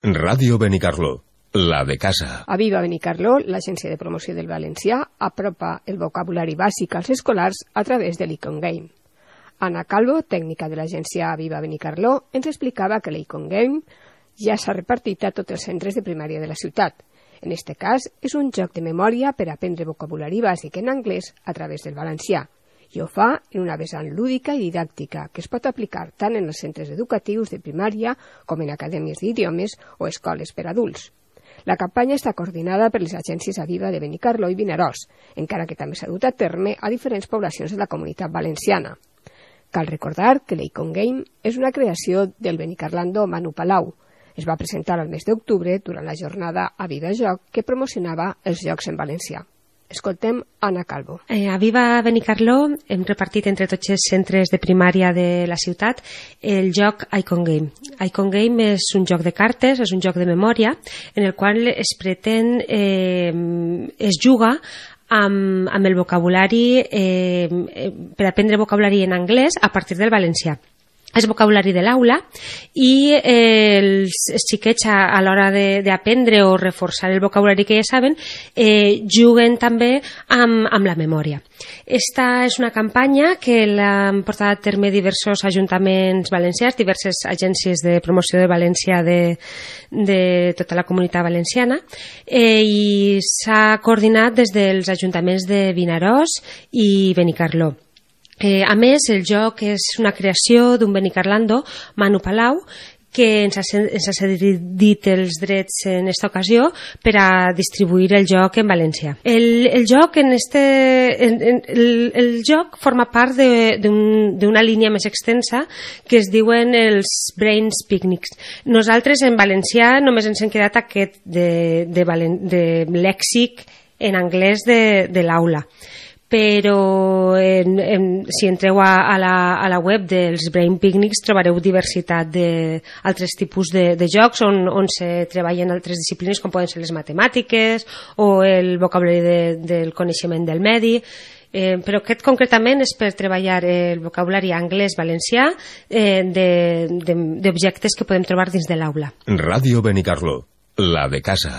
Ràdio Benicarló, la de casa. A Viva Benicarló, l'agència de promoció del valencià, apropa el vocabulari bàsic als escolars a través de l'Icon Game. Anna Calvo, tècnica de l'agència Viva Benicarló, ens explicava que l'Icon Game ja s'ha repartit a tots els centres de primària de la ciutat. En este cas, és un joc de memòria per aprendre vocabulari bàsic en anglès a través del valencià, i ho fa en una vessant lúdica i didàctica que es pot aplicar tant en els centres educatius de primària com en acadèmies d'idiomes o escoles per adults. La campanya està coordinada per les agències Aviva de Benicarló i Vinaròs, encara que també s'ha dut a terme a diferents poblacions de la comunitat valenciana. Cal recordar que l'Icon Game és una creació del benicarlando Manu Palau. Es va presentar al mes d'octubre durant la jornada Aviva Joc que promocionava els jocs en valencià. Escoltem Anna Calvo. A Viva Benicarló hem repartit entre tots els centres de primària de la ciutat el joc Icon Game. Icon Game és un joc de cartes, és un joc de memòria, en el qual es pretén, es juga amb el vocabulari, per aprendre vocabulari en anglès a partir del valencià. És vocabulari de l'aula i els xiquets a l'hora d'aprendre o reforçar el vocabulari que ja saben juguen també amb la memòria. Esta és una campanya que l'han portat a terme diversos ajuntaments valencians, diverses agències de promoció de València de tota la comunitat valenciana i s'ha coordinat des dels ajuntaments de Vinaròs i Benicarló. A més, el joc és una creació d'un benicarlando, Manu Palau, que ens ha cedit els drets en aquesta ocasió per a distribuir el joc en valencià. El joc forma part d'una línia més extensa que es diuen els Brains Picnics. Nosaltres en valencià només ens hem quedat aquest de lèxic en anglès de l'aula. Però si entreu a la web dels Brain Picnics trobareu diversitat d'altres tipus de jocs on se treballen altres disciplines com poden ser les matemàtiques o el vocabulari del coneixement del medi, però aquest concretament és per treballar el vocabulari anglès-valencià d'objectes que podem trobar dins de l'aula. Ràdio Benicarló, la de casa.